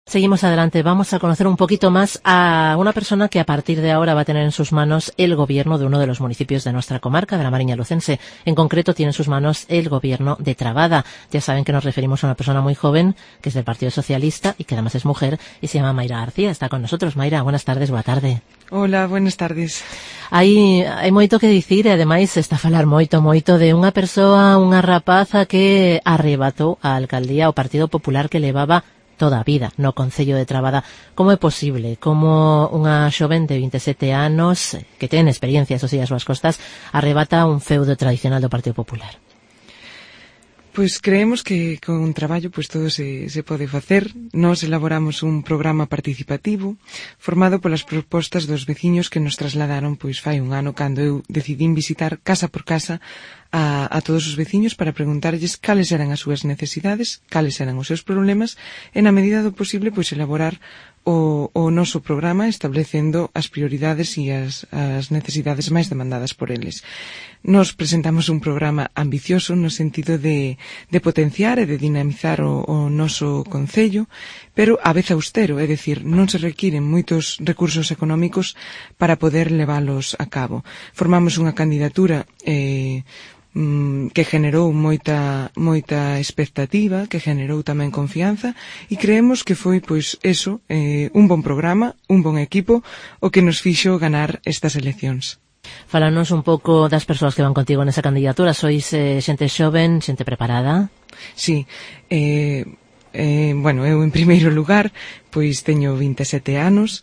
Seguimos adelante. Vamos a conocer un poquito más a una persona que a partir de ahora va a tener en sus manos el gobierno de uno de los municipios de nuestra comarca, de la Mariña Lucense. En concreto, tiene en sus manos el gobierno de Trabada. Ya saben que nos referimos a una persona muy joven, que es del Partido Socialista y que además es mujer, y se llama Mayra García. Está con nosotros. Mayra, buenas tardes, boa tarde. Hola, buenas tardes. Hai moito que dicir e ademais se está a falar moito de unha persoa, unha rapaza que arrebatou a alcaldía ao Partido Popular que levaba toda a vida no Concello de Trabada. Como é posible? Como unha xoven de 27 anos que ten experiencia, eso sí, as súas costas, arrebata un feudo tradicional do Partido Popular? Pois creemos que con un traballo todo se pode facer. Nós elaboramos un programa participativo formado polas propostas dos veciños que nos trasladaron fai un ano cando eu decidín visitar casa por casa a todos os veciños para preguntarlles cales eran as súas necesidades, cales eran os seus problemas e na medida do posible elaborar o noso programa establecendo as prioridades e as necesidades máis demandadas por eles. Nos presentamos un programa ambicioso no sentido de potenciar e de dinamizar o noso concello, pero a vez austero, é dicir, non se requiren moitos recursos económicos para poder leválos a cabo. Formamos unha candidatura que generou moita expectativa, que generou tamén confianza e creemos que foi un bon programa, un bon equipo o que nos fixo ganar estas eleccións. Fálanos un pouco das persoas que van contigo nesa candidatura. Sois xente xoven, xente preparada? Sí, eu en primeiro lugar teño 27 anos,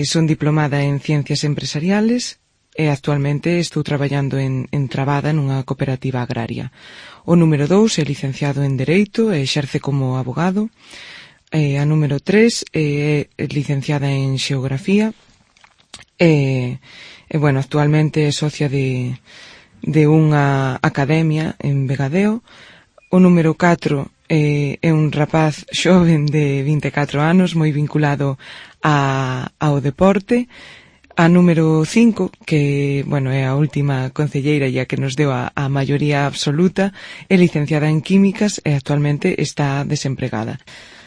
son diplomada en Ciencias Empresariales e actualmente estou traballando en Trabada nunha cooperativa agraria. O número 2 é licenciado en Dereito e exerce como abogado. A número 3 é licenciada en Xeografía e actualmente é socia de unha academia en Vegadeo. O número 4 é un rapaz xoven de 24 anos moi vinculado ao deporte. A número 5, que é a última concelleira e a que nos deu a maioría absoluta, é licenciada en Químicas e actualmente está desempregada.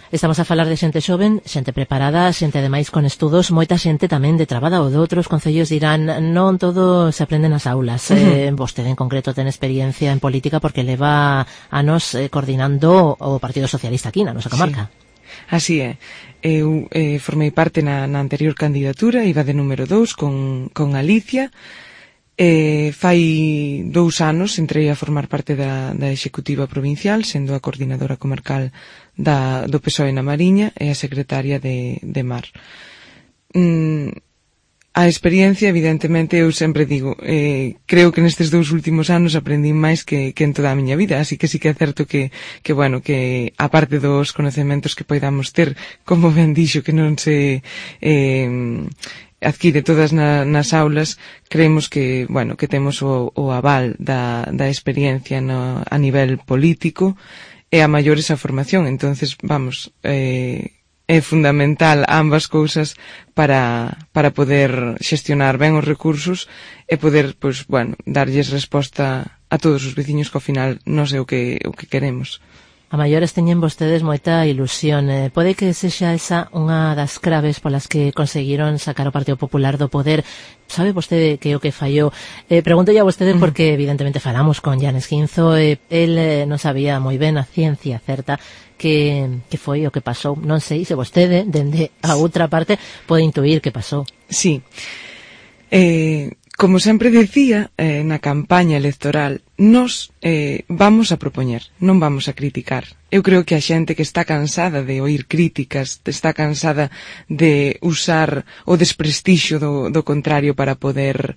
Estamos a falar de xente xoven, xente preparada, xente ademais con estudos, moita xente tamén de Trabada ou de outros concellos dirán non todo se aprende nas aulas. Vostede en concreto ten experiencia en política porque leva anos coordinando o Partido Socialista aquí na nosa comarca. Sí. Así é. Eu formei parte na anterior candidatura, iba de número 2 con Alicia. Fai 2 anos entrei a formar parte da Executiva Provincial, sendo a coordinadora comarcal do PSOE na Mariña e a secretaria de Mar. A experiencia, evidentemente, eu sempre digo, creo que nestes 2 últimos anos aprendí máis que en toda a miña vida, así que sí que é certo que aparte dos conocementos que poidamos ter, como ben dixo, que non se adquire todas nas aulas, creemos que temos o aval da experiencia a nivel político e a maior esa formación, entonces, é fundamental ambas cousas para poder xestionar ben os recursos e poder, darlles resposta a todos os veciños que ao final non é o que queremos. A maiores teñen vostedes moita ilusión. Pode que sexa esa unha das claves polas que conseguiron sacar o Partido Popular do poder. Sabe vostede que o que fallou? Pregunto a vostede porque evidentemente falamos con Llanes Quinzo, el non sabía moi ben a ciencia certa que foi o que pasou. Non sei se vostede, dende a outra parte, pode intuir que pasou. Sí. Como sempre dicía na campaña electoral, nós vamos a propoñer, non vamos a criticar. Eu creo que a xente que está cansada de oír críticas, está cansada de usar o desprestixio do contrario para poder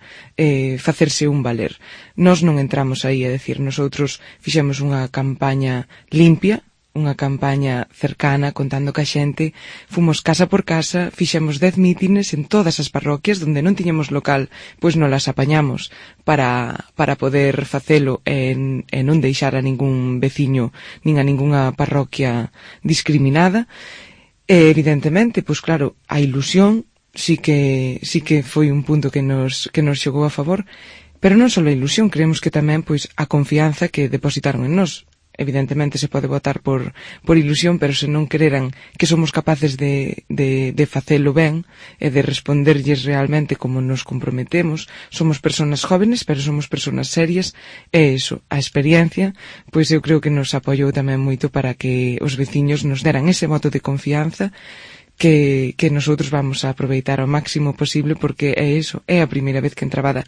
facerse un valer. Nós non entramos aí, é dicir, nosotros fixemos unha campaña limpia, unha campaña cercana, contando ca xente, fomos casa por casa, fixemos 10 mítines en todas as parroquias donde non tiñamos local, pois non las apañamos para poder facelo e non deixar a ningún veciño nin a ningunha parroquia discriminada. E evidentemente, pois claro, a ilusión sí que foi un punto que nos xogou a favor, pero non só a ilusión, creemos que tamén pois a confianza que depositaron en nós. evidentemente se pode votar por ilusión, pero se non creran que somos capaces de facelo ben e de responderlles realmente como nos comprometemos. Somos personas jóvenes, pero somos personas serias, e iso, a experiencia, pois eu creo que nos apoiou tamén moito para que os veciños nos deran ese voto de confianza que nosotros vamos a aproveitar ao máximo posible, porque é iso, é a primeira vez que en Trabada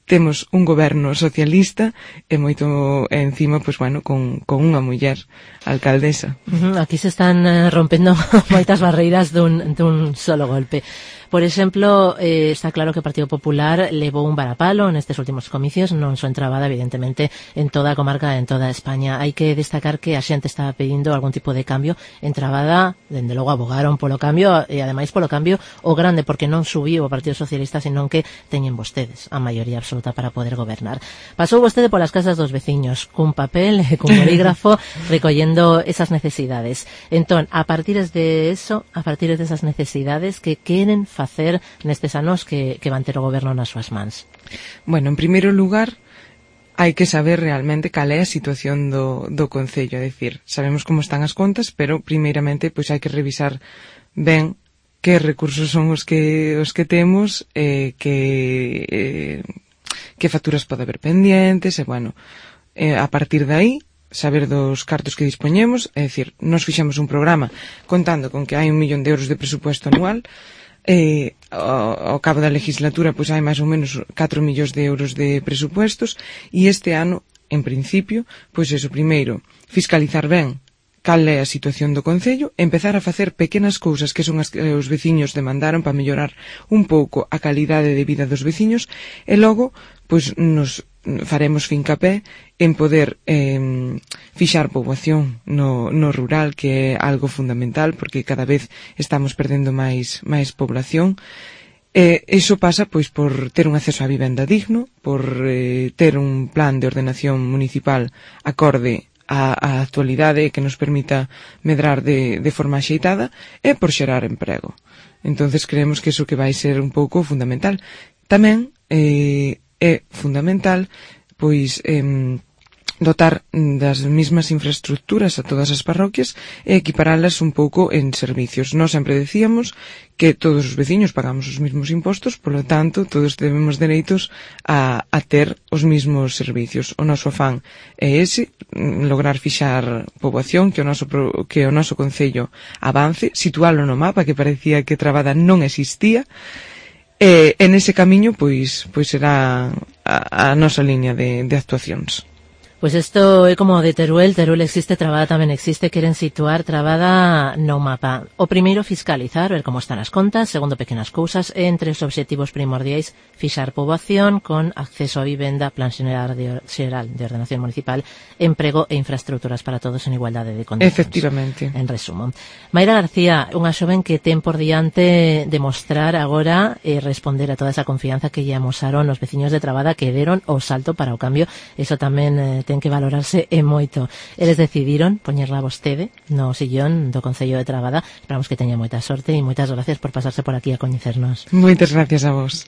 temos un goberno socialista e moito encima, pois bueno, con unha muller alcaldesa. Aquí se están rompendo moitas barreiras dun solo golpe. Por exemplo, está claro que o Partido Popular levou un varapalo nestes últimos comicios, non só en Trabada, evidentemente, en toda a comarca, en toda España. Hai que destacar que a xente estaba pedindo algún tipo de cambio. En Trabada, dende logo, abogaron polo cambio, e ademais polo cambio o grande, porque non subiu o Partido Socialista, senón que teñen vostedes a maioría absoluta para poder gobernar. Pasou vostede polas casas dos veciños, cun papel, cun bolígrafo, recollendo esas necesidades. Entón, a partir de eso, a partir de esas necesidades, que queren facer nestes anos que van ter o goberno nas súas mans? Bueno, en primeiro lugar, hai que saber realmente cal é a situación do Concello, é dicir, sabemos como están as contas, pero primeiramente pois hai que revisar ben que recursos son os que temos, que facturas pode haber pendientes, e bueno, a partir de aí saber dos cartos que dispoñemos, é dicir, nos fixemos un programa contando con que hai 1 millón de euros de presupuesto anual. Ao cabo da legislatura pois hai máis ou menos 4 millóns de euros de presupuestos, e este ano, en principio, pois eso, primeiro, fiscalizar ben cal é a situación do Concello, empezar a facer pequenas cousas que son as que os veciños demandaron para mellorar un pouco a calidade de vida dos veciños, e logo pois nos faremos fincapé en poder fixar poboación no rural, que é algo fundamental, porque cada vez estamos perdendo máis población. Iso pasa pois por ter un acceso á vivenda digno, por ter un plan de ordenación municipal acorde a actualidade que nos permita medrar de forma axeitada, e por xerar emprego. Entonces creemos que iso que vai ser un pouco fundamental. Tamén é fundamental pois dotar das mesmas infraestructuras a todas as parroquias e equiparalas un pouco en servicios. Nós sempre decíamos que todos os veciños pagamos os mesmos impostos, polo tanto, todos temos dereitos a ter os mesmos servicios. O noso afán é ese, lograr fixar poboación, que o noso Concello avance, situalo no mapa, que parecía que Trabada non existía, e nese camiño pois será a nosa liña de actuacións. Pois isto é como de Teruel existe, Trabada tamén existe, queren situar Trabada no mapa. O primeiro, fiscalizar, ver como están as contas. Segundo, pequenas cousas. Entre os obxectivos primordiais, fixar poboación con acceso a vivenda, plan xeral de ordenación municipal, emprego e infraestructuras para todos en igualdade de condicións. Efectivamente. En resumo. Mayra García, unha xoven que ten por diante demostrar agora e responder a toda esa confianza que lle amosaron os veciños de Trabada, que deron o salto para o cambio. Eso tamén ten que valorarse e moito. Eles decidiron poñerla vostede no sillón do Concello de Trabada. Esperamos que teña moita sorte e moitas gracias por pasarse por aquí a coñecernos. Moitas gracias a vos.